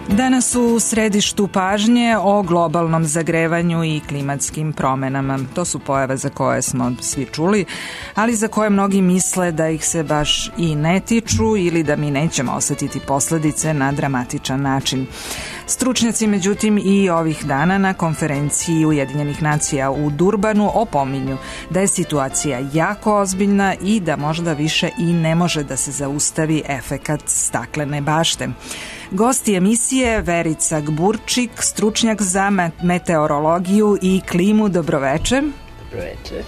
Danas u središtu pažnje o globalnom zagrevanju i klimatskim promenama. To su pojave za koje smo svi čuli, ali za koje mnogi misle da ih se baš i ne tiču ili da mi nećemo osetiti posledice na dramatičan način. Stručnjaci, međutim, i ovih dana na konferenciji Ujedinjenih nacija u Durbanu opominju da je situacija jako ozbiljna i da možda više i ne može da se zaustavi efekat staklene bašte. Gosti emisije Verica Gburčik, stručnjak za meteorologiju i klimu. Dobroveče. Dobroveče.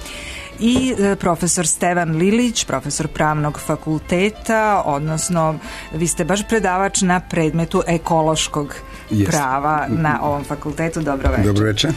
I profesor Stevan Lilić, profesor pravnog fakulteta, odnosno vi ste baš predavač na predmetu ekološkog prava na ovom fakultetu. Dobroveče. Dobroveče.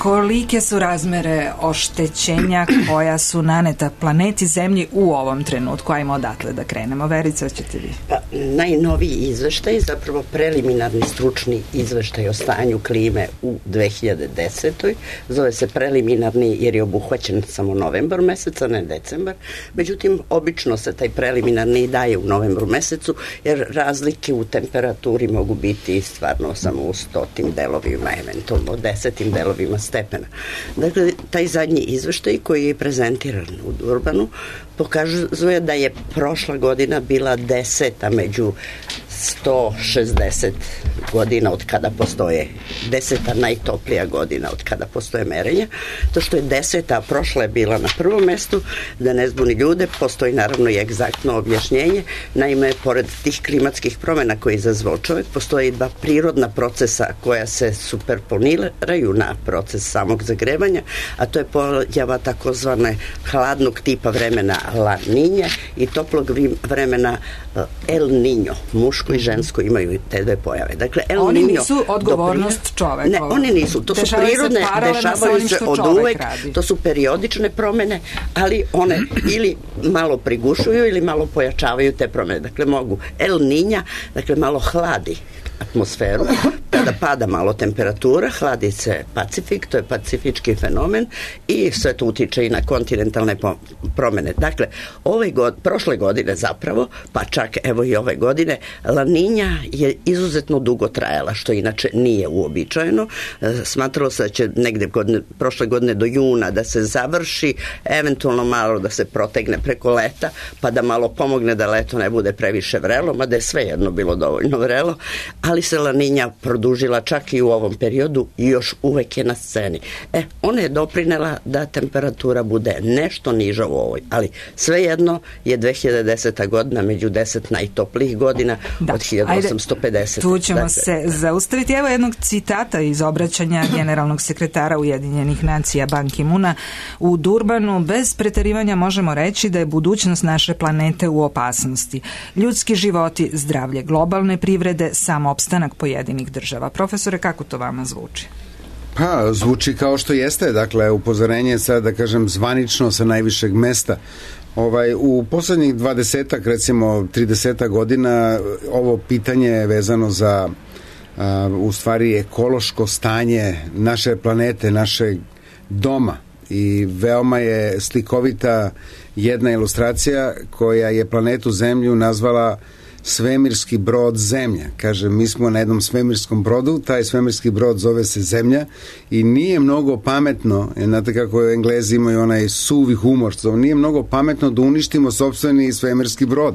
Kolike su razmere oštećenja koja su naneta planeti Zemlji u ovom trenutku? Ajmo odatle da krenemo. Verica, ćete vi? Pa, najnoviji izveštaj, zapravo preliminarni stručni izveštaj o stanju klime u 2010. Zove se preliminarni jer je obuhvaćen samo novembar meseca, ne decembar. Međutim, obično se taj preliminarni daje u novembru mesecu jer razlike u temperaturi mogu biti stvarno samo u 100 delovima, eventualno 10 delovima stepena. Dakle, taj zadnji izveštaj koji je prezentiran u Durbanu pokazuje da je prošla godina bila 10. među 160 godina od kada postoje, 10. najtoplija godina od kada postoje merenja. To što je 10. a prošla je bila na prvom mestu, da ne zbuni ljude, postoji naravno i egzaktno objašnjenje. Naime, pored tih klimatskih promjena koje je izazvao čovjek, postoji dva prirodna procesa koja se superponiraju na proces samog zagrevanja, a to je pojava takozvane hladnog tipa vremena La Niña i toplog vremena El Niño. Muško i žensko imaju te dve pojave. Dakle, El oni Niño nisu odgovornost čoveka. Ne, oni nisu. To su prirodne, dešavaju se od uvek. To su periodične promene, ali one ili malo prigušuju ili malo pojačavaju te promene. Dakle, mogu El Niña, dakle, malo hladi atmosferu, kada pada malo temperatura, hladi se Pacifik, to je pacifički fenomen i sve to utiče i na kontinentalne promene. Dakle, prošle godine zapravo, pa čak evo i ove godine, La Niña je izuzetno dugo trajala, što inače nije uobičajeno. Smatralo se da će negde prošle godine do juna da se završi, eventualno malo da se protegne preko leta, pa da malo pomogne da leto ne bude previše vrelo, mada je svejedno bilo dovoljno vrelo, ali se La Niña produžila čak i u ovom periodu i još uvek je na sceni. Ona je doprinela da temperatura bude nešto niža u ovoj, ali svejedno je 2010. godina među 10 najtoplijih godina od 1850. Ajde, tu ćemo se zaustaviti. Evo jednog citata iz obraćanja generalnog sekretara Ujedinjenih nacija Ban Ki-moona u Durbanu. Bez preterivanja možemo reći da je budućnost naše planete u opasnosti. Ljudski životi, zdravlje globalne privrede, samoopstanak pojedinih država. Profesore, kako to vama zvuči? Pa, zvuči kao što jeste, dakle, upozorenje sad, da kažem, zvanično sa najvišeg mesta. U poslednjih 20, recimo 30 godina, ovo pitanje je vezano za u stvari ekološko stanje naše planete, našeg doma, i veoma je slikovita jedna ilustracija koja je planetu Zemlju nazvala svemirski brod Zemlja. Kaže, mi smo na jednom svemirskom brodu, taj svemirski brod zove se Zemlja i nije mnogo pametno, znate kako Englezi imaju onaj suvi humor, nije mnogo pametno da uništimo sopstveni svemirski brod,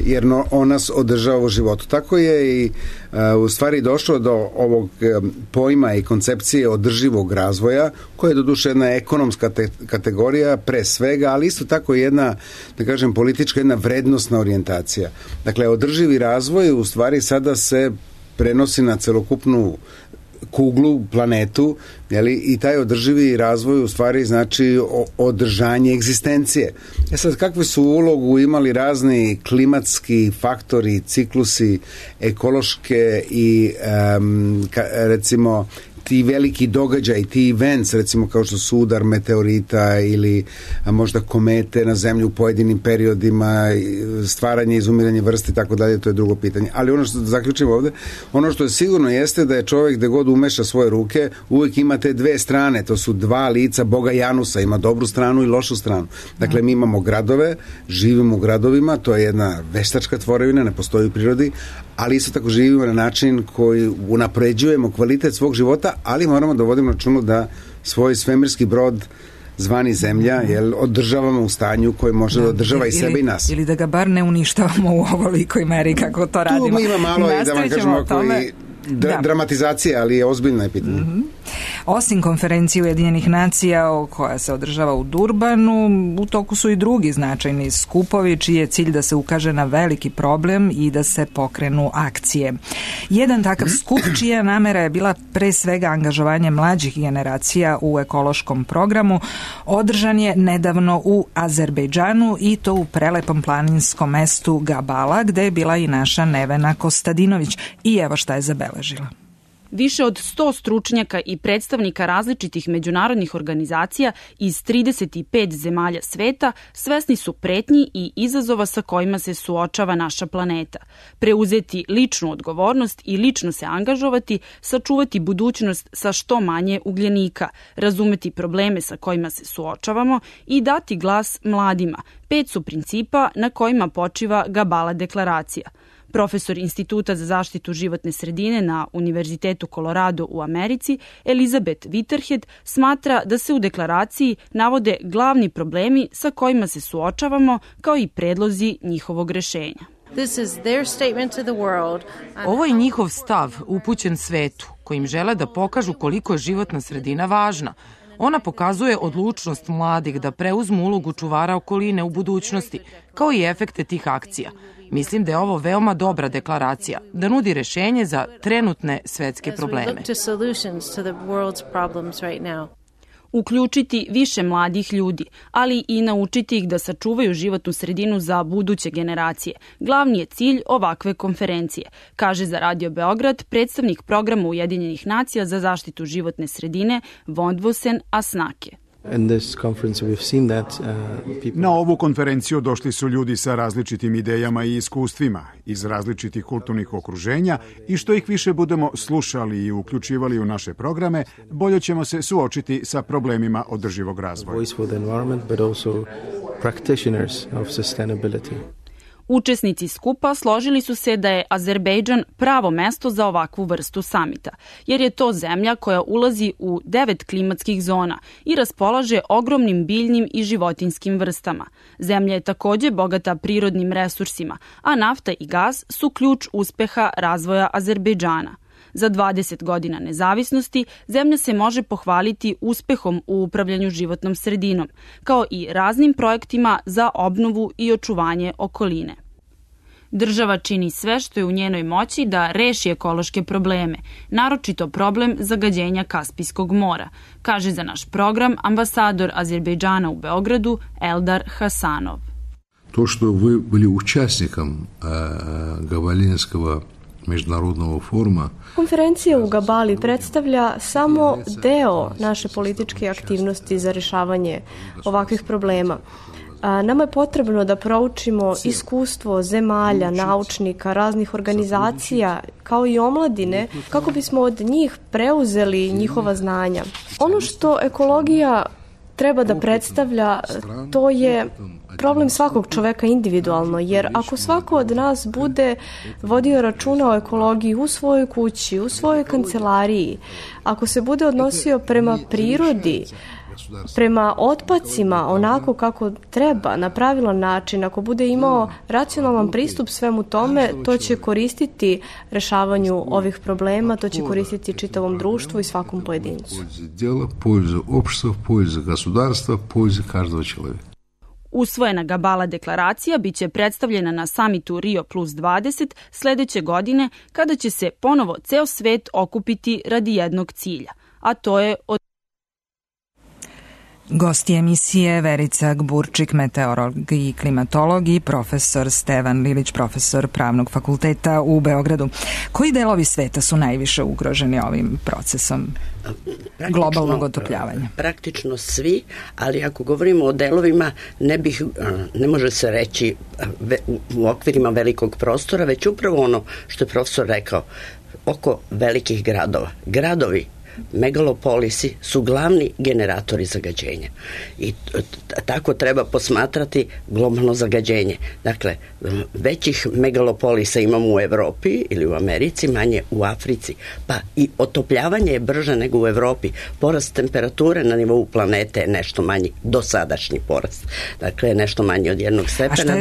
jer on nas održava u životu. Tako je i u stvari došlo do ovog pojma i koncepcije održivog razvoja, koja je doduše jedna ekonomska kategorija pre svega, ali isto tako jedna, da kažem, politička, jedna vrednostna orijentacija. Dakle, održivi razvoj u stvari sada se prenosi na celokupnu kuglu, planetu, i taj održivi razvoj u stvari znači održanje egzistencije. Sad, kakvu su ulogu imali razni klimatski faktori, ciklusi, ekološke i recimo ti veliki događaj, ti events, recimo kao što su udar meteorita ili možda komete na zemlju u pojedinim periodima, stvaranje i izumiranje vrste i tako dalje, to je drugo pitanje. Ali ono što zaključimo ovde, ono što je sigurno jeste da je čovjek gde god umeša svoje ruke, uvijek ima te dve strane, to su dva lica Boga Janusa, ima dobru stranu i lošu stranu. Dakle, mi imamo gradove, živimo u gradovima, to je jedna veštačka tvorevina, ne postoji u prirodi, ali isto tako živimo na način koji unapređujemo kvalitet svog života, ali moramo da vodimo računu da svoj svemirski brod zvani Zemlja, jer održavamo u stanju koje može da održava i sebe i nas. Ili da ga bar ne uništavamo u ovolikoj meri kako to radimo. Tu ima malo i da vam kažemo dramatizacije, ali je ozbiljno je pitanje. Osim konferencije Ujedinjenih nacija koja se održava u Durbanu, u toku su i drugi značajni skupovi čiji je cilj da se ukaže na veliki problem i da se pokrenu akcije. Jedan takav skup čija namera je bila pre svega angažovanje mlađih generacija u ekološkom programu održan je nedavno u Azerbejdžanu i to u prelepom planinskom mestu Gabala gde je bila i naša Nevena Kostadinović i evo šta je zabeležila. Više od 100 stručnjaka i predstavnika različitih međunarodnih organizacija iz 35 zemalja sveta svesni su pretnji i izazova sa kojima se suočava naša planeta. Preuzeti ličnu odgovornost i lično se angažovati, sačuvati budućnost sa što manje ugljenika, razumeti probleme sa kojima se suočavamo i dati glas mladima. 5 su principa na kojima počiva Gabala deklaracija. Profesor Instituta za zaštitu životne sredine na Univerzitetu Colorado u Americi, Elizabeth Whitehead, smatra da se u deklaraciji navode glavni problemi sa kojima se suočavamo, kao i predlozi njihovog rešenja. Ovo je njihov stav upućen svetu, kojim žele da pokažu koliko je životna sredina važna. Ona pokazuje odlučnost mladih da preuzmu ulogu čuvara okoline u budućnosti, kao i efekte tih akcija. Mislim da je ovo veoma dobra deklaracija, da nudi rešenje za trenutne svetske probleme. Uključiti više mladih ljudi, ali i naučiti ih da sačuvaju životnu sredinu za buduće generacije. Glavni je cilj ovakve konferencije, kaže za Radio Beograd predstavnik programa Ujedinjenih nacija za zaštitu životne sredine Vondvosen Asnake. Na ovu konferenciju došli su ljudi sa različitim idejama i iskustvima iz različitih kulturnih okruženja i što ih više budemo slušali i uključivali u naše programe, bolje ćemo se suočiti sa problemima održivog razvoja. Učesnici skupa složili su se da je Azerbejdžan pravo mesto za ovakvu vrstu samita, jer je to zemlja koja ulazi u 9 klimatskih zona i raspolaže ogromnim biljnim i životinjskim vrstama. Zemlja je takođe bogata prirodnim resursima, a nafta i gas su ključ uspeha razvoja Azerbejdžana. Za 20 godina nezavisnosti zemlja se može pohvaliti uspehom u upravljanju životnom sredinom, kao i raznim projektima za obnovu i očuvanje okoline. Država čini sve što je u njenoj moći da reši ekološke probleme, naročito problem zagađenja Kaspijskog mora, kaže za naš program ambasador Azerbejdžana u Beogradu Eldar Hasanov. To što vi bili učesnikom Gabalinskog međunarodnog foruma. Konferencija u Gabali predstavlja samo deo naše političke aktivnosti za rešavanje ovakvih problema. Nama je potrebno da proučimo iskustvo zemalja, naučnika, raznih organizacija, kao i omladine, kako bismo od njih preuzeli njihova znanja. Ono što ekologija treba da predstavlja, to je problem svakog čoveka individualno, jer ako svako od nas bude vodio računa o ekologiji u svojoj kući, u svojoj kancelariji, ako se bude odnosio prema prirodi, prema otpacima onako kako treba, na pravilan način, ako bude imao racionalan pristup svemu tome, to će koristiti rešavanju ovih problema, to će koristiti čitavom društvu i svakom pojedincu. Pользу общества, пользу государства, пользу каждого человека. Usvojena Gabala deklaracija biće predstavljena na samitu Rio plus 20 sledeće godine, kada će se ponovo ceo svet okupiti radi jednog cilja, a to je Gosti emisije Verica Gburčik, meteorolog i klimatolog, i profesor Stevan Lilić, profesor Pravnog fakulteta u Beogradu. Koji delovi sveta su najviše ugroženi ovim procesom globalnog otopljavanja? Praktično svi, ali ako govorimo o delovima, ne može se reći u okvirima velikog prostora, već upravo ono što je profesor rekao, oko velikih gradova. Gradovi megalopolisi su glavni generatori zagađenja. I tako treba posmatrati globalno zagađenje. Dakle, većih megalopolisa imamo u Evropi ili u Americi, manje u Africi. Pa i otopljavanje je brže nego u Evropi. Porast temperature na nivou planete je nešto manji, dosadašnji porast. Dakle, nešto manji od 1 stepena. A šta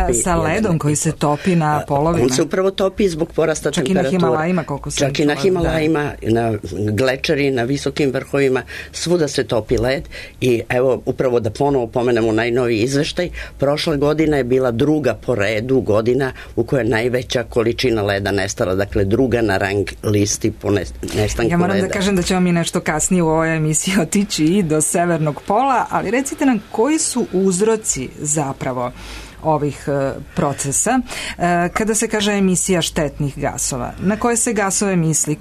je sa ledom koji se topi na polovima? On se upravo topi zbog porasta temperature. Čak i na Himalajima, koliko sam čak i na Himalajima, na glečeri, na visokim vrhovima, svuda se topi led i evo, upravo da ponovo pomenemo najnoviji izveštaj, prošle godine je bila druga po redu godina u kojoj je najveća količina leda nestala, dakle druga na rang listi po nestanku leda. Ja moram da kažem da ćemo mi nešto kasnije u ovoj emisiji otići i do severnog pola, ali recite nam koji su uzroci zapravo ovih procesa. Kada se kaže emisija štetnih gasova, na koje se gasove misli?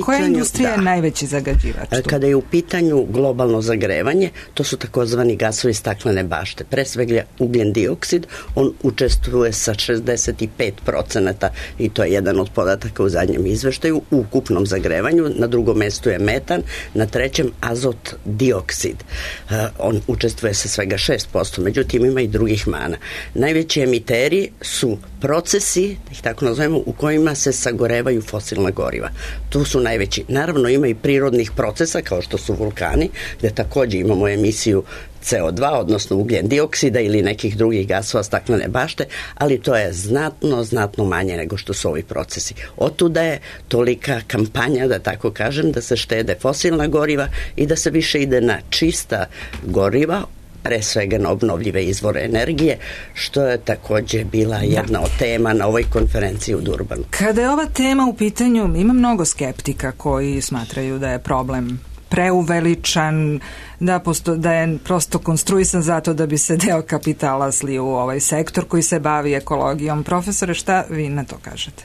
Koja industrija je najveći zagađivač tu? Kada je u pitanju globalno zagrevanje, to su takozvani gasovi staklene bašte. Pre svega ugljen dioksid, on učestvuje sa 65% i to je jedan od podataka u zadnjem izveštaju u ukupnom zagrevanju. Na drugom mestu je metan, na trećem azot dioksid. On učestvuje sa svega 6%, međutim ima i drugih mana. Najveći emiteri su procesi, da ih tako nazovemo, u kojima se sagorevaju fosilna goriva. Tu su najveći. Naravno ima i prirodnih procesa kao što su vulkani, gde takođe imamo emisiju CO2, odnosno ugljen dioksida ili nekih drugih gasova staklene bašte, ali to je znatno manje nego što su ovi procesi. Otuda je tolika kampanja, da tako kažem, da se štede fosilna goriva i da se više ide na čista goriva, pre svega na obnovljive izvore energije, što je takođe bila jedna od tema na ovoj konferenciji u Durbanu. Kada je ova tema u pitanju, ima mnogo skeptika koji smatraju da je problem preuveličan, da je prosto konstruisan zato da bi se deo kapitala slio u ovaj sektor koji se bavi ekologijom. Profesore, šta vi na to kažete?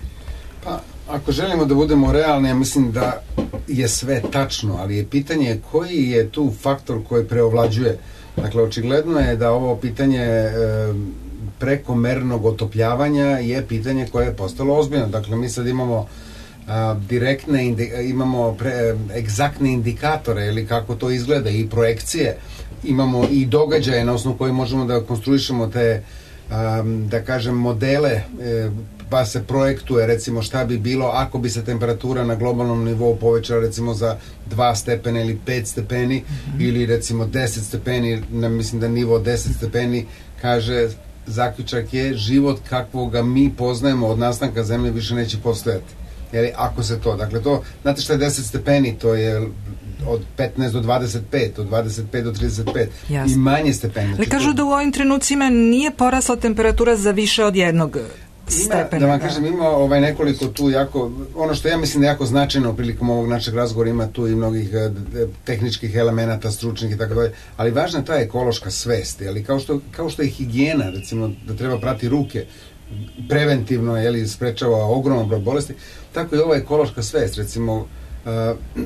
Pa, ako želimo da budemo realni, ja mislim da je sve tačno, ali je pitanje koji je tu faktor koji preovlađuje. Dakle, očigledno je da ovo pitanje prekomernog otopljavanja je pitanje koje je postalo ozbiljno. Dakle, mi sad imamo imamo egzaktne indikatore ili kako to izgleda i projekcije, imamo i događaje na osnovu koji možemo da konstruišemo te, da kažem, modele, pa se projektuje recimo šta bi bilo ako bi se temperatura na globalnom nivou povećala recimo za 2 stepena ili 5 stepeni ili recimo 10 stepeni, mislim da nivo 10 stepeni kaže zaključak je život kakvoga mi poznajemo od nastanka zemlje više neće postojati. Jer ako se to, dakle to, znate šta je 10 stepeni, to je od 15 do 25, od 25 do 35. Jasne. I manje stepeni. Ali kažu da u ovim trenucima nije porasla temperatura za više od 1 stepena. Da vam kažem, ima nekoliko tu jako, ono što ja mislim da je jako značajno prilikom ovog našeg razgovora, ima tu i mnogih tehničkih elemenata, stručnih i tako dalje, ali važna je ta ekološka svest, ali kao što je higijena, recimo da treba prati ruke, preventivno sprečava ogroman broj bolesti, tako i ova ekološka svest, recimo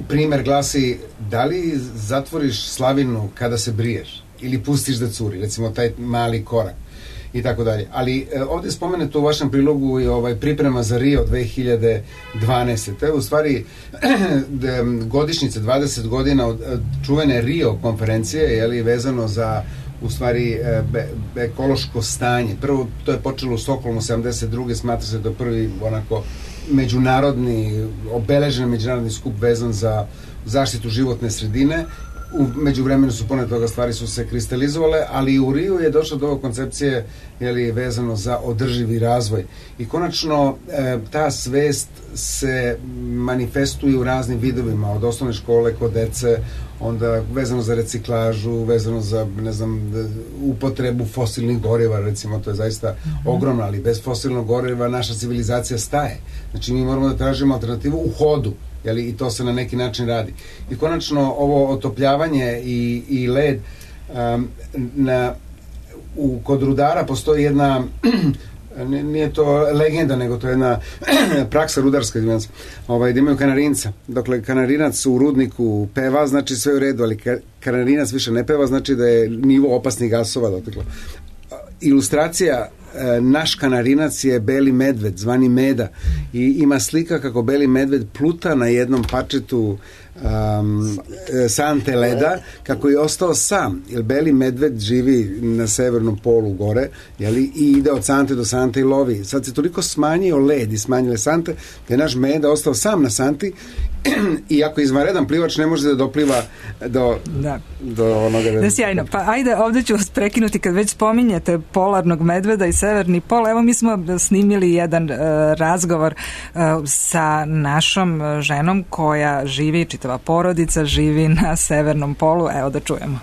primer glasi da li zatvoriš slavinu kada se briješ ili pustiš da curi, recimo taj mali korak i tako dalje. Ali ovdje spomenuto u vašem prilogu i priprema za Rio 2012. To je u stvari godišnjica 20 godina od čuvene Rio konferencije, vezano za u stvari ekološko stanje. Prvo, to je počelo u Stokholmu 72. Smatra se da je prvi onako međunarodni, obeležen međunarodni skup vezan za zaštitu životne sredine. U međuvremenu su pored toga stvari su se kristalizovale, ali u Riju je došlo do ove koncepcije vezano za održivi razvoj. I konačno ta svest se manifestuje u raznim vidovima, od osnovne škole kod dece, onda vezano za reciklažu, vezano za, ne znam, upotrebu fosilnih goriva, recimo, to je zaista ogromno, ali bez fosilnog goriva naša civilizacija staje. Znači, mi moramo da tražimo alternativu u hodu, i to se na neki način radi. I konačno, ovo otopljavanje i led, kod rudara postoji jedna, nije to legenda, nego to je jedna praksa rudarska, da imaju kanarinca. Dakle, kanarinac u rudniku peva, znači sve u redu, ali kanarinac više ne peva, znači da je nivo opasnih gasova doteklo. Ilustracija naš kanarinac je beli medved, zvani Meda, i ima slika kako beli medved pluta na jednom parčetu sante leda, kako je ostao sam, jer beli medved živi na severnom polu gore, jeli, i ide od sante do sante i lovi. Sad se toliko smanjio led i smanjile sante, da je naš Meda ostao sam na santi i ako izvanredan plivač ne može da dopliva do onoga... Da, sjajno. Pa ajde, ovde ću vas prekinuti kad već spominjete polarnog medveda i severni pol. Evo mi smo snimili jedan razgovor sa našom ženom koja živi, čitava porodica živi na severnom polu. Evo da čujemo.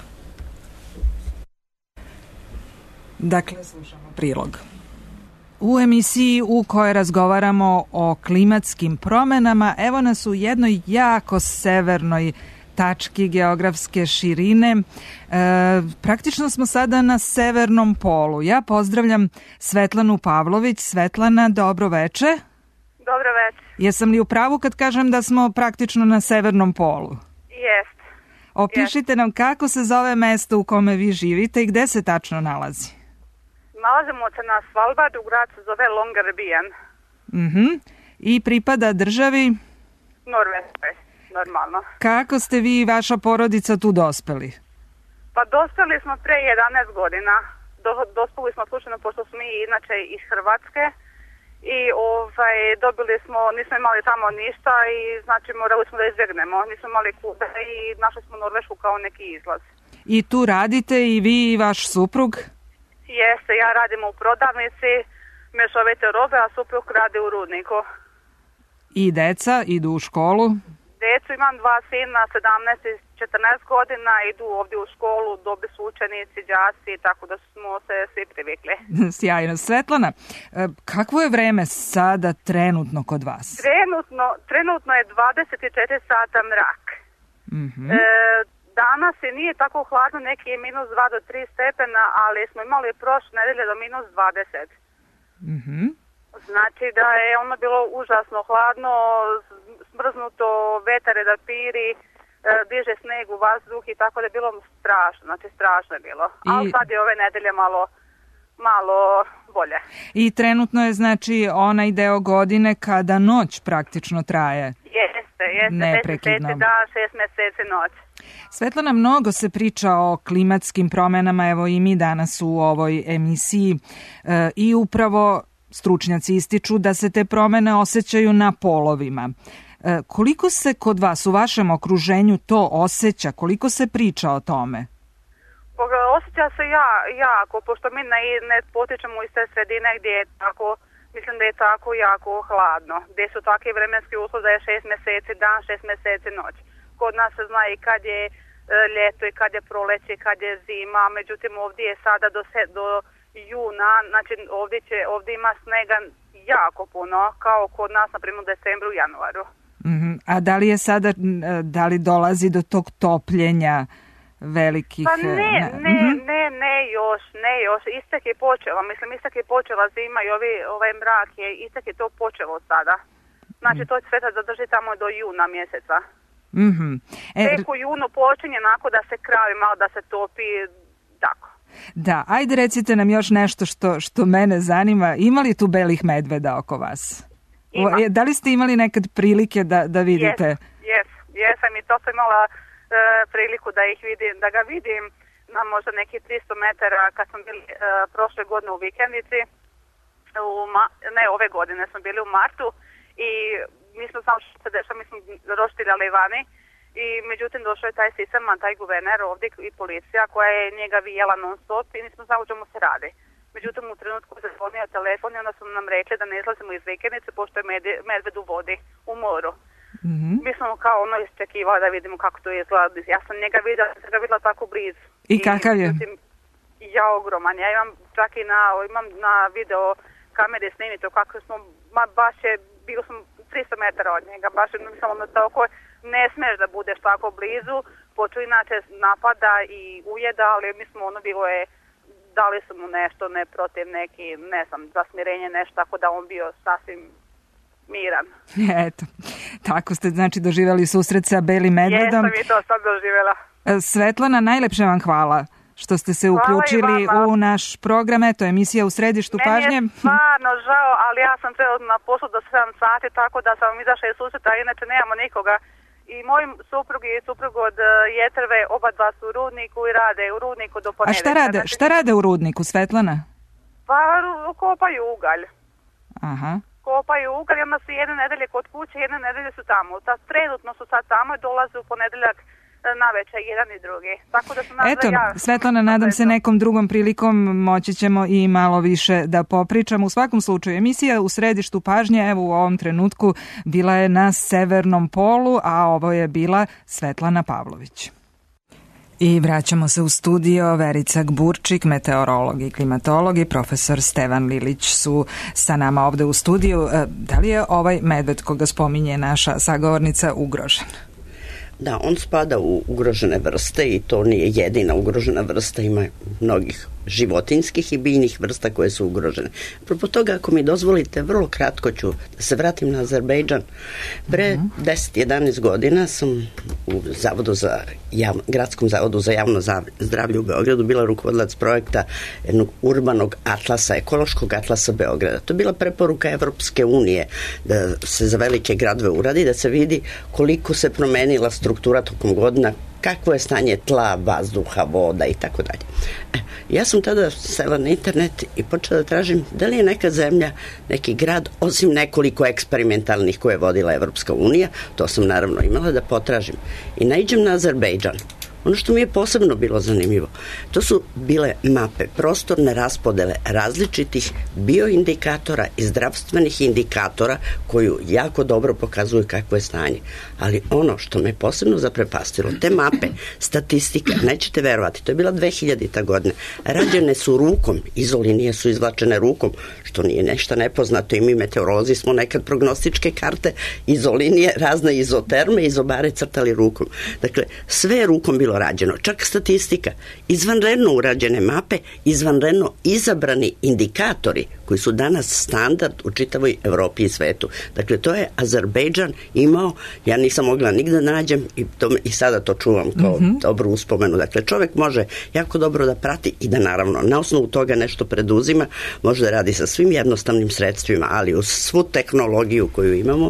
Dakle, slušamo prilog. U emisiji u kojoj razgovaramo o klimatskim promenama, evo nas u jednoj jako severnoj tački geografske širine. Praktično smo sada na severnom polu. Ja pozdravljam Svetlanu Pavlović. Svetlana, dobro veče. Dobro veče. Jesam li u pravu kad kažem da smo praktično na severnom polu? Jest. Opišite nam kako se zove mesto u kome vi živite i gde se tačno nalazi? Nalazimo se na Svalbardu, grad se zove Longyearbyen. I pripada državi? Norveškoj, normalno. Kako ste vi i vaša porodica tu dospeli? Pa dospeli smo pre 11 godina. Dospeli smo slučajno, pošto smo mi inače iz Hrvatske i dobili smo, nismo imali tamo ništa i znači morali smo da izbjegnemo. Nismo imali kuda i našli smo Norvešku kao neki izlaz. I tu radite i vi i vaš suprug? Jeste, ja radim u prodavnici mešovite robe, a suprug radi u rudniku. I deca idu u školu? Decu imam 2 sina, 17 i 14 godina, idu ovdje u školu, dobi su učenici, đaci, tako da smo se svi privikli. Sjajno. Svetlana, kakvo je vreme sada trenutno kod vas? Trenutno je 24 sata mrak. Danas je nije tako hladno, neki je minus 2 do 3 stepena, ali smo imali prošle nedelje do minus 20. Znači da je ono bilo užasno hladno, smrznuto, vetare da piri, diže sneg u vazduh i tako da je bilo strašno, znači strašno je bilo. Ali sad je ove nedelje malo bolje. I trenutno je znači onaj deo godine kada noć praktično traje. Jeste, neprekidno. 6 meseci dan, 6 meseci noć. Svetlana, mnogo se priča o klimatskim promenama, evo i mi danas u ovoj emisiji i upravo stručnjaci ističu da se te promene osjećaju na polovima. Koliko se kod vas, u vašem okruženju to osjeća? Koliko se priča o tome? Osjeća se jako, pošto mi ne potičemo iz te sredine gdje je tako, mislim da je tako jako hladno, gdje su takvi vremenski uslovi da je 6 meseci dan, 6 meseci noć. Kod nas se zna i kad je ljeto i kad je proleće, kad je zima, međutim ovdje je sada do juna, znači ovdje ima snega jako puno, kao kod nas na primjer u decembru i januaru. A da li je sada, da li dolazi do tog topljenja velikih... Pa ne još, istek je počela zima i ovaj mrak istek je to počelo sada. Znači to će sve zadrži tamo do juna mjeseca. Tek u junu počinje onako da se kravi, malo da se topi, tako. Da, ajde recite nam još nešto što mene zanima. Ima li tu belih medveda oko vas? Ima. Da li ste imali nekad prilike da vidite? Jesam i to sam imala priliku da ga vidim na možda neki 300 metara kad smo bili prošle godine u vikendici. Ove godine smo bili u martu i nismo znali što se dešava, mi smo roštiljali vani i međutim došao je taj sisaman, taj guverner ovdje i policija koja je njega vijela non stop i nismo znali o čemu se radi. Međutim u trenutku se zvonio telefon i onda su nam rekli da ne izlazimo iz vikendice pošto je medved u vodi, u moru. Mi smo kao iščekivali da vidimo kako to izgleda. Ja sam njega vidjela tako blizu. I kakav je? Ja ogroman. Ja imam čak i imam na video kamere snimito kako smo, baš je, bilo sam 300 metara od njega, baš je, mislim, tako, ne smiješ da budeš tako blizu, počeo inače napada i ujeda, ali mi smo bilo je, dali su mu nešto, ne protiv neki, ne znam, za smirenje nešto, tako da on bio sasvim miran. Eto, tako ste znači doživjeli susret sa belim medvedom. Jesam i to sad doživjela. Svetlana, najlepše vam hvala što ste se uključili u naš program. Eto, emisija U središtu pažnje. Meni je stvarno žao, ali ja sam trenutno na poslu do 7 sati, tako da sam izašla iz susreta, inače nemamo nikoga. I moj suprug i suprug od Jetrve, oba dva su u Rudniku i rade u Rudniku do ponedjeljka. A šta rade u Rudniku, Svetlana? Pa kopaju ugalj. Aha. Kopaju ugalj, onda su jedne nedelje kod kuće, jedne nedelje su tamo. Trenutno su sad tamo i dolaze u ponedeljak navečer jedan i drugi. Tako da su Eto, Svetlana, nadam se nekom drugom prilikom moći ćemo i malo više da popričamo. U svakom slučaju, emisija U središtu pažnje, evo u ovom trenutku, bila je na Severnom polu, a ovo je bila Svetlana Pavlović. I vraćamo se u studio. Verica Gburčik, meteorolog i klimatolog, i profesor Stevan Lilić su sa nama ovde u studiju. Da li je ovaj medved koga spominje naša sagovornica ugrožen? Da, on spada u ugrožene vrste i to nije jedina ugrožena vrsta, ima mnogih životinskih i biljnih vrsta koje su ugrožene. Apropo toga, ako mi dozvolite, vrlo kratko ću da se vratim na Azerbejdžan. Pre 10-11 godina sam u Gradskom zavodu za javno zdravlje u Beogradu bila rukovodilac projekta jednog urbanog atlasa, ekološkog atlasa Beograda. To je bila preporuka Evropske unije da se za velike gradove uradi, da se vidi koliko se promenila struktura tokom godina, kakvo je stanje tla, vazduha, voda i tako dalje. Ja sam tada sela na internet i počela da tražim da li je neka zemlja, neki grad, osim nekoliko eksperimentalnih koje je vodila Evropska unija, to sam naravno imala da potražim. I naiđem na Azerbejdžan. Ono što mi je posebno bilo zanimljivo, to su bile mape, prostorne raspodele različitih bioindikatora i zdravstvenih indikatora koju jako dobro pokazuju kakvo je stanje. Ali ono što me posebno zaprepastilo, te mape, statistika, nećete verovati, to je bila 2000. godina, rađene su rukom, izolinije su izvlačene rukom, što nije nešto nepoznato i mi meteorolozi smo nekad prognostičke karte, izolinije, razne izoterme, izobare crtali rukom. Dakle, sve je rukom bilo rađeno, čak statistika, izvanredno urađene mape, izvanredno izabrani indikatori koji su danas standard u čitavoj Evropi i svetu. Dakle, to je Azerbejdžan imao, ja nisam mogla nigde da nađem i sada to čuvam kao dobru uspomenu. Dakle, čovek može jako dobro da prati i da naravno na osnovu toga nešto preduzima, može da radi sa svim jednostavnim sredstvima, ali uz svu tehnologiju koju imamo,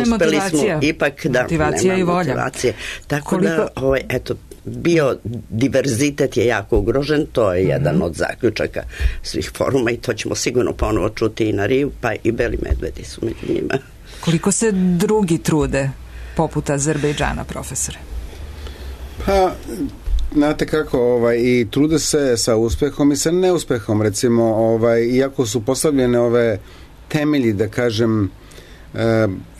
uspeli smo ipak da motivacija i volja. Motivacije. Tako da, eto, biodiverzitet je jako ugrožen, to je jedan od zaključaka svih foruma i to ćemo sigurno ponovo čuti i na Riju, pa i beli medvedi su među njima. Koliko se drugi trude poput Azerbejdžana, profesore? Pa, znate kako, i trude se sa uspehom i sa neuspehom, recimo, iako su postavljene ove temelji, da kažem,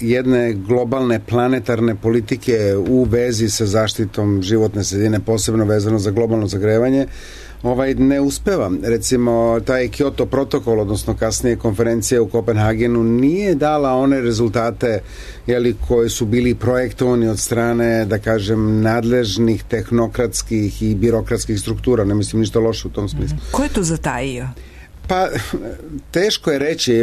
jedne globalne planetarne politike u vezi sa zaštitom životne sredine, posebno vezano za globalno zagrevanje, ne uspeva. Recimo, taj Kyoto protokol, odnosno kasnije konferencija u Kopenhagenu, nije dala one rezultate koji su bili projektovani od strane, da kažem, nadležnih tehnokratskih i birokratskih struktura. Ne mislim ništa loše u tom smislu. Ko je to zatajio? Pa, teško je reći,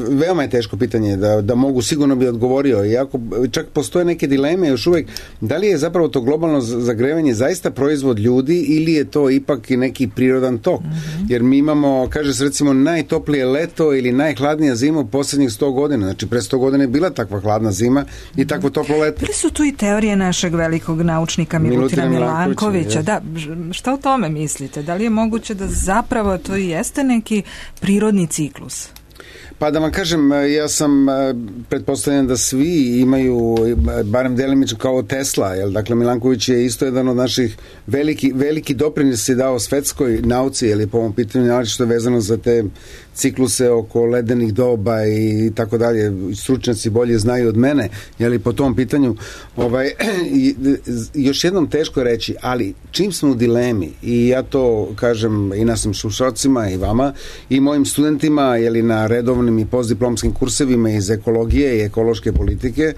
veoma je teško pitanje, da mogu, sigurno bi odgovorio, iako čak postoje neke dileme još uvek, da li je zapravo to globalno zagrevanje zaista proizvod ljudi ili je to ipak i neki prirodan tok, jer mi imamo, kaže se recimo, najtoplije leto ili najhladnija zima u posljednjih 100 godina, znači pre 100 godina je bila takva hladna zima i takvo toplo leto. Bili su tu i teorije našeg velikog naučnika Milutina Milankovića, da, šta o tome mislite? Da li je moguće da zapravo to i jeste neki prirodni ciklus? Pa da vam kažem, ja sam pretpostavljen da svi imaju, barem delimično kao Tesla, dakle Milanković je isto jedan od naših veliki doprinos je dao svetskoj nauci, po ovom pitanju, što je vezano za te cikluse oko ledenih doba i tako dalje, stručnjaci bolje znaju od mene, po tom pitanju još jednom teško je reći, ali čim smo u dilemi, i ja to kažem i našim slušalcima i vama i mojim studentima, na redovnim i postdiplomskim kursevima iz ekologije i ekološke politike,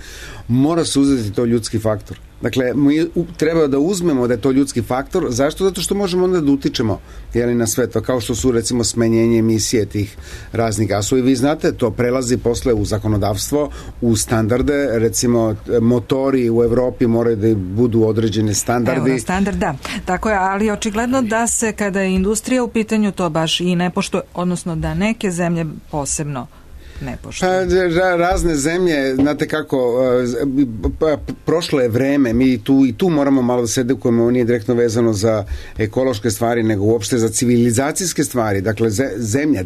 mora se uzeti to ljudski faktor. Dakle, mi treba da uzmemo da je to ljudski faktor. Zašto? Zato što možemo onda da utičemo na sve to, kao što su recimo smanjenje emisije tih raznih gasova. I vi znate, to prelazi posle u zakonodavstvo, u standarde, recimo motori u Evropi moraju da budu određene standardi. Eurostandard, da. Tako je, ali očigledno da se kada je industrija u pitanju to baš i ne poštuje, odnosno da neke zemlje posebno ne poštuje. Razne zemlje, znate kako, prošlo je vreme, mi tu moramo malo da se edukujemo, nije direktno vezano za ekološke stvari, nego uopšte za civilizacijske stvari. Dakle, zemlja,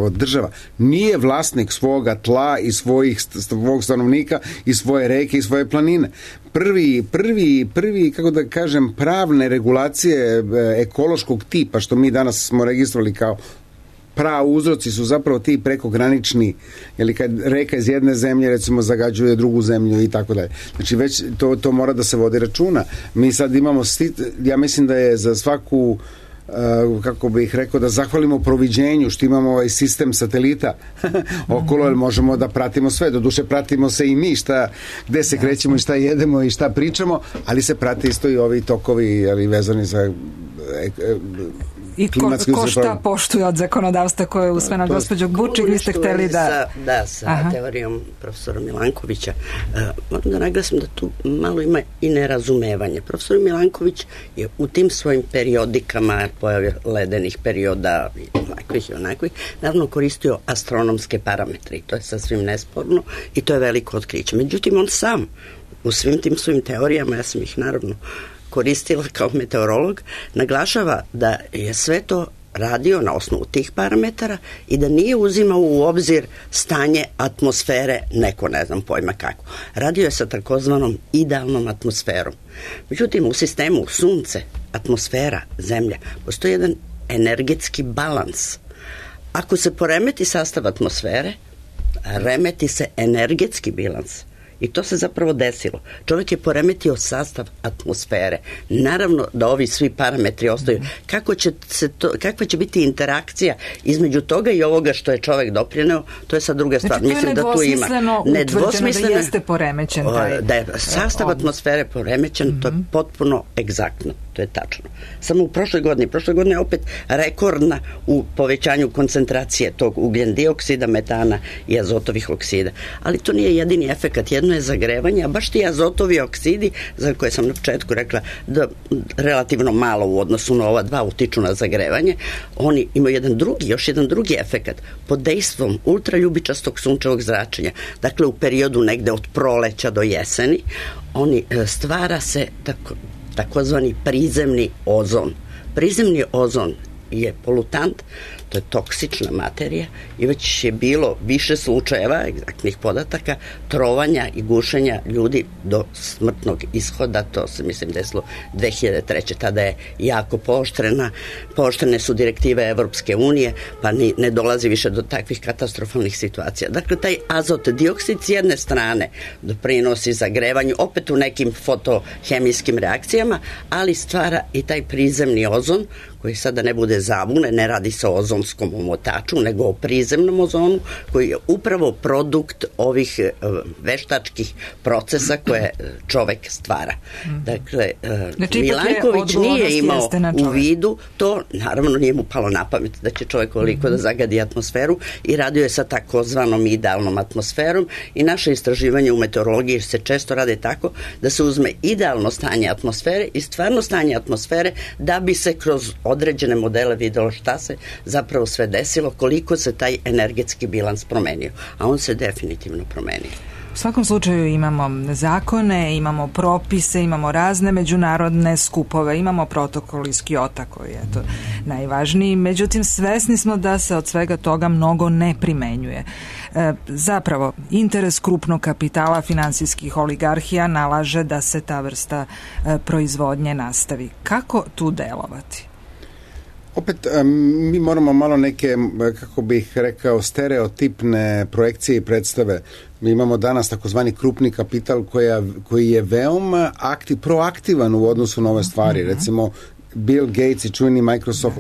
država nije vlasnik svoga tla i svog stanovnika i svoje reke i svoje planine. Prvi, kako da kažem, pravne regulacije ekološkog tipa, što mi danas smo registrovali kao uzroci su zapravo ti prekogranični, ili kad reka iz jedne zemlje recimo zagađuje drugu zemlju i tako dalje. Znači već to mora da se vodi računa. Mi sad imamo, ja mislim da je za svaku kako bih rekao, da zahvalimo proviđenju što imamo ovaj sistem satelita okolo, jer možemo da pratimo sve. Doduše pratimo se i mi gde se krećemo i šta jedemo i šta pričamo, ali se prate isto i ovi tokovi, ali vezani za i ko šta poštuje od zakonodavstva koje je usvojeno. Gospođo Bučik, vi ste hteli sa teorijom profesora Milankovića. Moram da naglasim da tu malo ima i nerazumevanje. Profesor Milanković je u tim svojim periodikama, pojave ledenih perioda i onakvih, naravno koristio astronomske parametre i to je sasvim nesporno i to je veliko otkriće. Međutim, on sam u svim tim svojim teorijama, ja sam ih naravno koristila kao meteorolog, naglašava da je sve to radio na osnovu tih parametara i da nije uzimao u obzir stanje atmosfere, neko ne znam pojma kako. Radio je sa takozvanom idealnom atmosferom. Međutim, u sistemu Sunce, atmosfera, Zemlja, postoji jedan energetski balans. Ako se poremeti sastav atmosfere, remeti se energetski bilans. I to se zapravo desilo. Čovjek je poremetio sastav atmosfere. Naravno da ovi svi parametri ostaju. Kakva će biti interakcija između toga i ovoga što je čovjek doprineo, to je sad druga stvar. Znači, mislim da tu ima nedvosmisleno da jeste poremećen da je sastav atmosfere poremećen, to je potpuno egzaktno. To je tačno. Samo u prošloj godini je opet rekordna u povećanju koncentracije tog ugljen dioksida, metana i azotovih oksida. Ali to nije jedini efekat. Jedno je zagrevanje, a baš ti azotovi oksidi, za koje sam na početku rekla da relativno malo u odnosu na ova dva utiču na zagrevanje, oni imaju još jedan drugi efekat. Pod dejstvom ultraljubičastog sunčevog zračenja, dakle u periodu negde od proleća do jeseni, stvara se takozvani prizemni ozon. Prizemni ozon je polutant, to je toksična materija i već je bilo više slučajeva, egzaktnih podataka, trovanja i gušenja ljudi do smrtnog ishoda. To se mislim desilo 2003. Tada je jako pooštrene su direktive Evropske unije, pa ne dolazi više do takvih katastrofalnih situacija. Dakle, taj azot dioksid s jedne strane doprinosi zagrevanju, opet u nekim fotohemijskim reakcijama, ali stvara i taj prizemni ozon, koji sada ne bude zabune, ne radi se o ozonskom omotaču, nego o prizemnom ozonu, koji je upravo produkt ovih veštačkih procesa koje čovek stvara. Dakle, Milanković nije imao u vidu to, naravno nije mu palo na pamet da će čovek koliko da zagadi atmosferu i radio je sa takozvanom idealnom atmosferom i naše istraživanje u meteorologiji se često rade tako da se uzme idealno stanje atmosfere i stvarno stanje atmosfere da bi se kroz određene modele videlo šta se zapravo sve desilo, koliko se taj energetski bilans promenio. A on se definitivno promenio. U svakom slučaju imamo zakone, imamo propise, imamo razne međunarodne skupove, imamo protokol iz Kyota koji je to najvažniji. Međutim, svesni smo da se od svega toga mnogo ne primenjuje. Zapravo, interes krupnog kapitala finansijskih oligarhija nalaže da se ta vrsta proizvodnje nastavi. Kako tu delovati? Opet, mi moramo malo neke, kako bih rekao, stereotipne projekcije i predstave. Mi imamo danas takozvani krupni kapital koji je veoma proaktivan u odnosu na ove stvari. Recimo, Bill Gates i čuveni Microsoft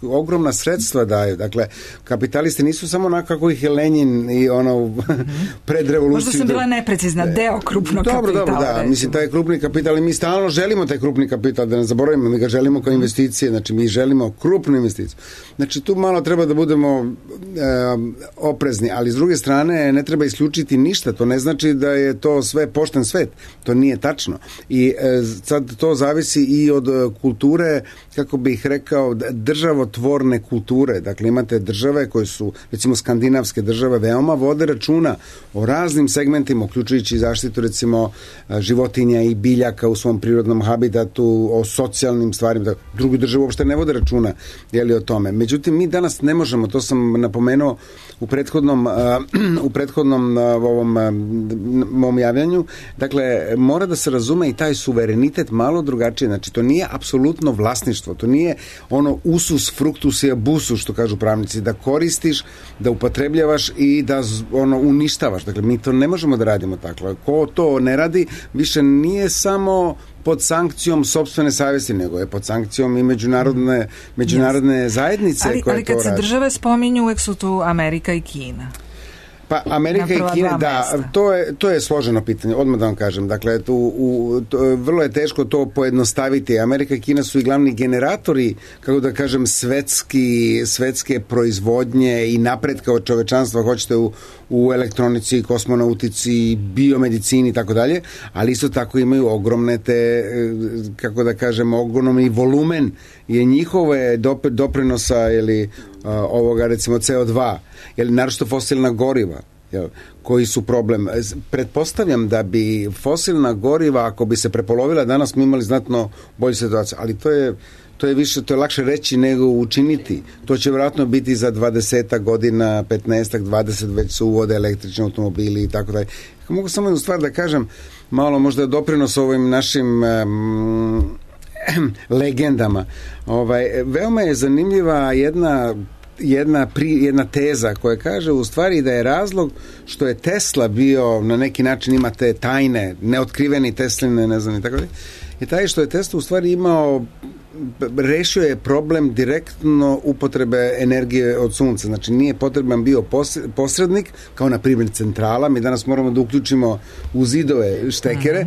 ogromna sredstva daju. Dakle, kapitalisti nisu samo onako kako ih je Lenin i pred revoluciju. Možda sam bila neprecizna, deo krupnog kapitala. Dobro, da. Mislim, taj krupni kapital i mi stalno želimo taj krupni kapital, da ne zaboravimo, mi ga želimo kao investicije, znači mi želimo krupnu investiciju. Znači, tu malo treba da budemo oprezni, ali s druge strane ne treba isključiti ništa, to ne znači da je to sve pošten svet, to nije tačno. I sad to zavisi i od kulture, kako bih rekao, državotvorne kulture. Dakle, imate države koje su, recimo skandinavske države, veoma vode računa o raznim segmentima, uključujući zaštitu, recimo, životinja i biljaka u svom prirodnom habitatu, o socijalnim stvarima. Drugi države uopšte ne vode računa o tome. Međutim, mi danas ne možemo, to sam napomenuo u prethodnom mom javljanju, dakle, mora da se razume i taj suverenitet malo drugačije. Znači, to nije apsolutno vlasništvo, to nije ono usus, fructus i abusus, što kažu pravnici, da koristiš, da upotrebljavaš i da uništavaš. Dakle, mi to ne možemo da radimo tako. Ko to ne radi, više nije samo pod sankcijom sopstvene savjesti, nego je pod sankcijom i međunarodne zajednice koje to radi. Ali kad se države spominju, uvek su tu Amerika i Kina. Pa Amerika i Kina, da, to je složeno pitanje, odmah da vam kažem. Dakle, vrlo je teško to pojednostaviti. Amerika i Kina su i glavni generatori, kako da kažem, svetske proizvodnje i napretka od čovečanstva, hoćete u elektronici, kosmonautici, biomedicini i tako dalje, ali isto tako imaju ogromne kako da kažem, ogromni volumen je njihove doprinosa ovoga, recimo CO2, naročito fosilna goriva, koji su problem. Pretpostavljam da bi fosilna goriva, ako bi se prepolovila, danas smo imali znatno bolju situaciju, ali to je lakše reći nego učiniti. To će vjerojatno biti za 20 godina, 15, 20, već se uvode električni automobili i tako dalje. Mogu samo jednu stvar da kažem, malo možda doprinos ovim našim legendama. Veoma je zanimljiva jedna teza koja kaže u stvari da je razlog što je Tesla bio, na neki način ima te tajne, neotkriveni Tesline, ne znam i tako dalje, je taj što je Tesla u stvari rešio je problem direktno upotrebe energije od sunca. Znači nije potreban bio posrednik, kao na primjer centrala. Mi danas moramo da uključimo u zidove štekere,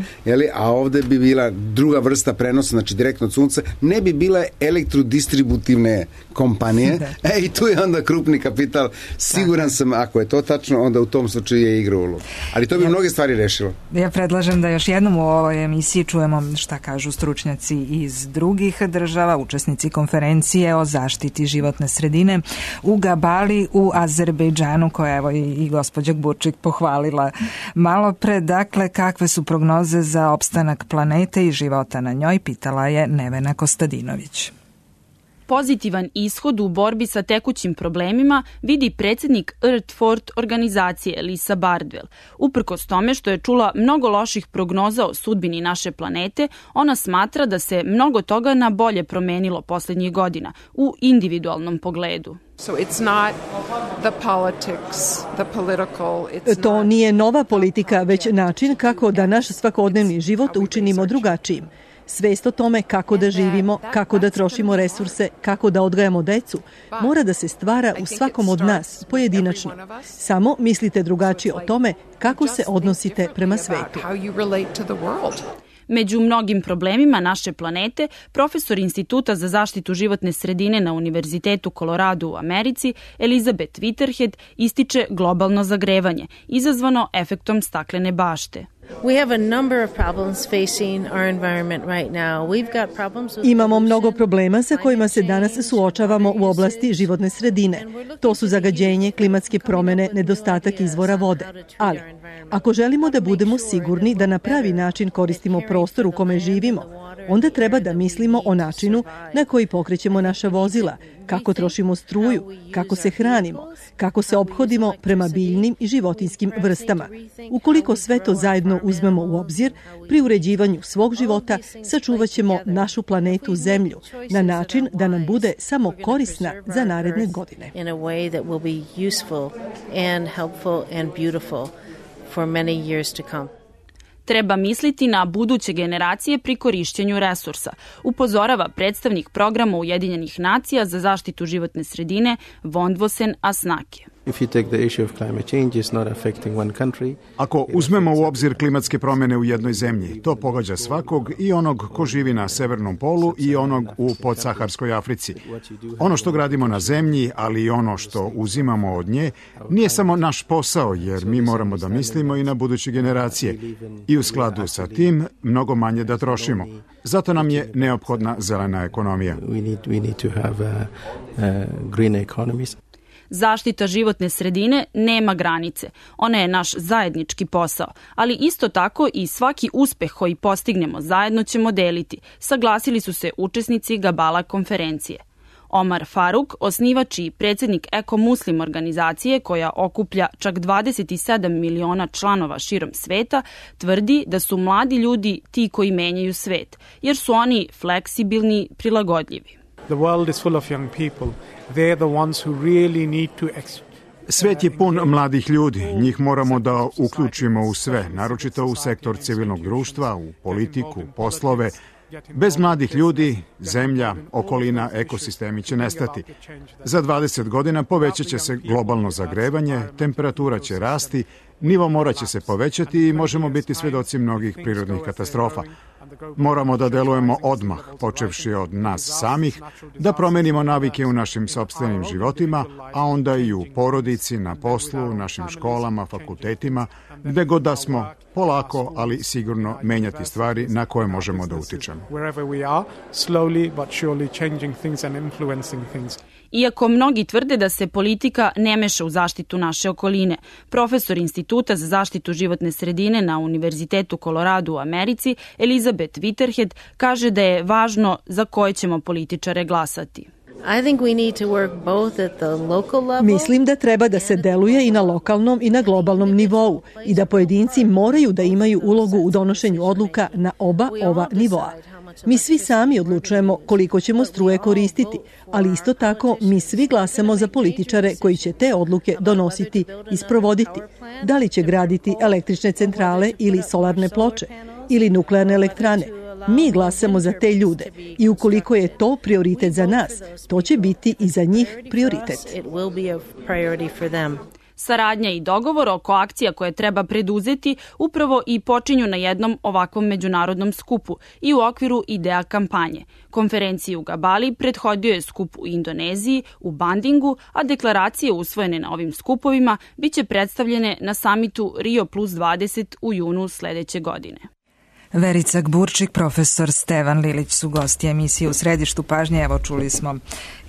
a ovde bi bila druga vrsta prenosa, znači direktno od sunca. Ne bi bile elektrodistributivne kompanije. I tu je onda krupni kapital. Siguran sam, ako je to tačno, onda u tom slučaju je igra ulogu. Ali to bi mnoge stvari rešilo. Ja predlažem da još jednom u ovoj emisiji čujemo šta kažu stručnjaci iz drugih država, učesnici konferencije o zaštiti životne sredine u Gabali u Azerbejdžanu, koja evo i gospođa Burčik pohvalila malo pre. Dakle, kakve su prognoze za opstanak planete i života na njoj, pitala je Nevena Kostadinović. Pozitivan ishod u borbi sa tekućim problemima vidi predsjednik Earth Fort organizacije Lisa Bardwell. Uprkos tome što je čula mnogo loših prognoza o sudbini naše planete, ona smatra da se mnogo toga na bolje promenilo poslednjih godina u individualnom pogledu. To nije nova politika, već način kako da naš svakodnevni život učinimo drugačijim. Svest o tome kako da živimo, kako da trošimo resurse, kako da odgajamo decu, mora da se stvara u svakom od nas, pojedinačno. Samo mislite drugačije o tome kako se odnosite prema svetu. Među mnogim problemima naše planete, profesor Instituta za zaštitu životne sredine na Univerzitetu Colorado u Americi, Elizabeth Whitehead, ističe globalno zagrevanje, izazvano efektom staklene bašte. Imamo mnogo problema sa kojima se danas suočavamo u oblasti životne sredine. To su zagađenje, klimatske promene, nedostatak izvora vode. Ali, ako želimo da budemo sigurni da na pravi način koristimo prostor u kome živimo, onda treba da mislimo o načinu na koji pokrećemo naša vozila, kako trošimo struju, kako se hranimo, kako se ophodimo prema biljnim i životinjskim vrstama. Ukoliko sve to zajedno uzmemo u obzir, pri uređivanju svog života sačuvat ćemo našu planetu Zemlju na način da nam bude samo korisna za naredne godine. Treba misliti na buduće generacije pri korišćenju resursa, upozorava predstavnik programa Ujedinjenih nacija za zaštitu životne sredine Vondvosen Asnake. Ako uzmemo u obzir klimatske promene u jednoj zemlji, to pogađa svakog, i onog ko živi na severnom polu i onog u podsaharskoj Africi. Ono što gradimo na zemlji, ali i ono što uzimamo od nje, nije samo naš posao, jer mi moramo da mislimo i na buduće generacije i u skladu sa tim mnogo manje da trošimo. Zato nam je neophodna zelena ekonomija. Zaštita životne sredine nema granice. Ona je naš zajednički posao, ali isto tako i svaki uspeh koji postignemo zajedno ćemo deliti, saglasili su se učesnici Gabala konferencije. Omar Faruk, osnivač i predsednik Eko Muslim organizacije koja okuplja čak 27 miliona članova širom sveta, tvrdi da su mladi ljudi ti koji menjaju svet, jer su oni fleksibilni, prilagodljivi. The world is full of young people. They're the ones who really need to Svet je pun mladih ljudi, njih moramo da uključimo u sve, naročito u sektor civilnog društva, u politiku, poslove. Bez mladih ljudi, zemlja, okolina, ekosistemi će nestati. Za 20 godina povećat će se globalno zagrevanje, temperatura će rasti, nivo mora će se povećati i možemo biti svedoci mnogih prirodnih katastrofa. Moramo da delujemo odmah, počevši od nas samih, da promenimo navike u našim sopstvenim životima, a onda i u porodici, na poslu, našim školama, fakultetima, gde god da smo, polako, ali sigurno menjati stvari na koje možemo da utičemo. Iako mnogi tvrde da se politika ne meša u zaštitu naše okoline, profesor Instituta za zaštitu životne sredine na Univerzitetu Colorado u Americi, Elizabeth Whitehead, kaže da je važno za koje ćemo političare glasati. Mislim da treba da se deluje i na lokalnom i na globalnom nivou i da pojedinci moraju da imaju ulogu u donošenju odluka na oba ova nivoa. Mi svi sami odlučujemo koliko ćemo struje koristiti, ali isto tako mi svi glasamo za političare koji će te odluke donositi i sprovoditi. Da li će graditi električne centrale ili solarne ploče ili nuklearne elektrane. Mi glasamo za te ljude i ukoliko je to prioritet za nas, to će biti i za njih prioritet. Saradnja i dogovor oko akcija koje treba preduzeti upravo i počinju na jednom ovakvom međunarodnom skupu i u okviru IDEA kampanje. Konferenciji u Gabali prethodio je skup u Indoneziji, u Bandingu, a deklaracije usvojene na ovim skupovima biće predstavljene na samitu Rio plus 20 u junu sledeće godine. Verica Gburčik, profesor Stevan Lilić su gosti emisije U središtu pažnje. Evo, čuli smo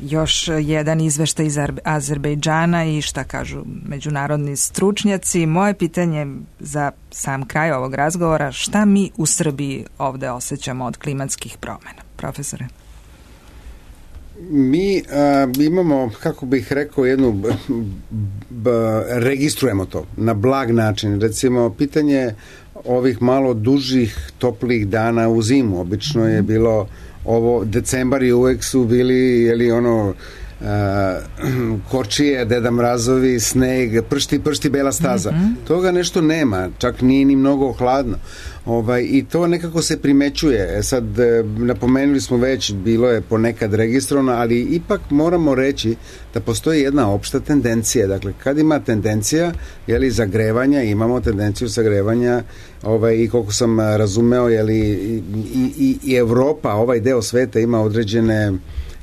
još jedan izveštaj iz Azerbejdžana i šta kažu međunarodni stručnjaci. Moje pitanje za sam kraj ovog razgovora, šta mi u Srbiji ovde osjećamo od klimatskih promena? Profesore? Mi imamo, kako bih rekao, registrujemo to na blag način. Recimo, pitanje ovih malo dužih, toplih dana u zimu. Obično je bilo ovo, decembar i uvek su bili, kočije, Deda Mrazovi, sneg, pršti bela staza. Toga nešto nema, čak nije ni mnogo hladno. I to nekako se primećuje. Sad, napomenuli smo već, bilo je ponekad registrovano, ali ipak moramo reći da postoji jedna opšta tendencija. Dakle, kad ima tendencija, zagrevanja, imamo tendenciju zagrevanja, i koliko sam razumeo, i Evropa, ovaj deo sveta ima određene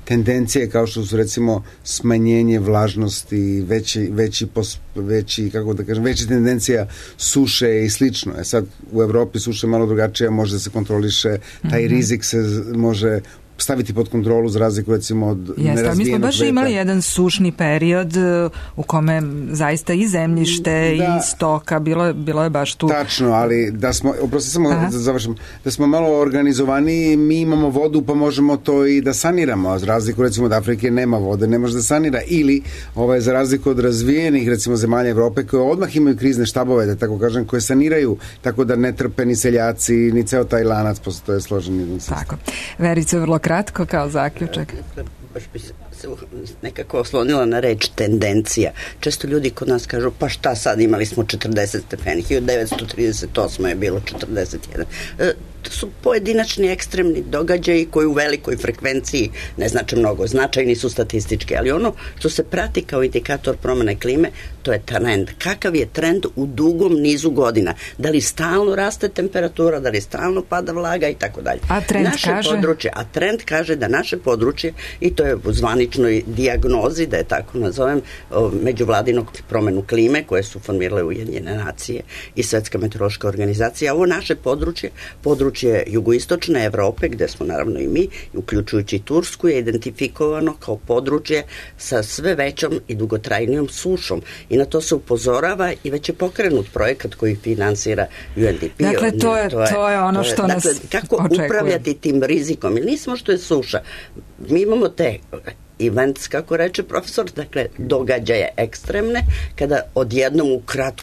tendencije kao što su recimo smanjenje vlažnosti, veća tendencija suše i slično. Sad u Evropi suša je malo drugačija, može da se kontroliše, taj rizik se može staviti pod kontrolu za razliku recimo od nerazvijenog sveta. Mi smo baš imali jedan sušni period u kome zaista i zemljište i stoka, bilo je baš tu. Tačno, ali da smo malo organizovani, mi imamo vodu pa možemo to i da saniramo, za razliku recimo od Afrike nema vode, ne može da sanira, ili za razliku od razvijenih recimo zemalja Evrope koje odmah imaju krizne štabove, da tako kažem, koje saniraju tako da ne trpe ni seljaci, ni ceo taj lanac, posto je složen jedan sistem. Tako. Verica, vrlo kratko kao zaključak. Baš bi se nekako oslonila na reč tendencija. Često ljudi kod nas kažu, pa šta sad, imali smo 40 stepeni, 1938 je bilo 41. To su pojedinačni ekstremni događaji koji u velikoj frekvenciji ne znače mnogo, značajni su statistički, ali ono što se prati kao indikator promene klime, to je trend. Kakav je trend u dugom nizu godina? Da li stalno raste temperatura, da li stalno pada vlaga i tako dalje. A trend kaže? A trend kaže da naše područje, i to je u zvaničnoj dijagnozi, da je tako nazovem, međuvladinog promenu klime koje su formirale Ujedinjene nacije i Svetska meteorološka organizacija. Ovo naše područje jugoistočne Evrope, gde smo naravno i mi, uključujući Tursku, je identifikovano kao područje sa sve većom i dugotrajnijom sušom. I na to se upozorava i već je pokrenut projekat koji finansira UNDP. Dakle, to je ono što nas kako očekuje. Upravljati tim rizikom? Ili nismo što je suša. Mi imamo te events, kako reče profesor, dakle, događaje ekstremne, kada odjednom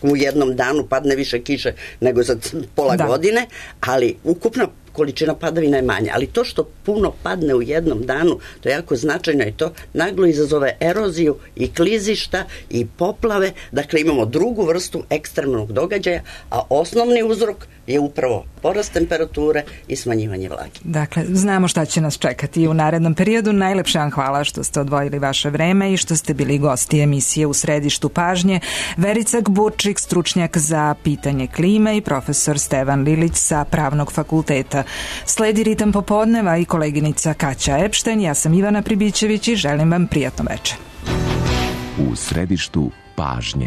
u jednom danu padne više kiše nego za pola godine, ali ukupna količina padavina je manja, ali to što puno padne u jednom danu, to je jako značajno i to naglo izazove eroziju i klizišta i poplave, dakle imamo drugu vrstu ekstremnog događaja, a osnovni uzrok je upravo porast temperature i smanjivanje vlage. Dakle, znamo šta će nas čekati u narednom periodu. Najlepše vam hvala što ste odvojili vaše vreme i što ste bili gosti emisije U središtu pažnje. Verica Gburčik, stručnjak za pitanje klime, i profesor Stevan Lilić sa Pravnog fakulteta. Sledi Ritam popodneva i koleginica Kaća Epšten. Ja sam Ivana Pribićević i želim vam prijatno večer. U središtu pažnje.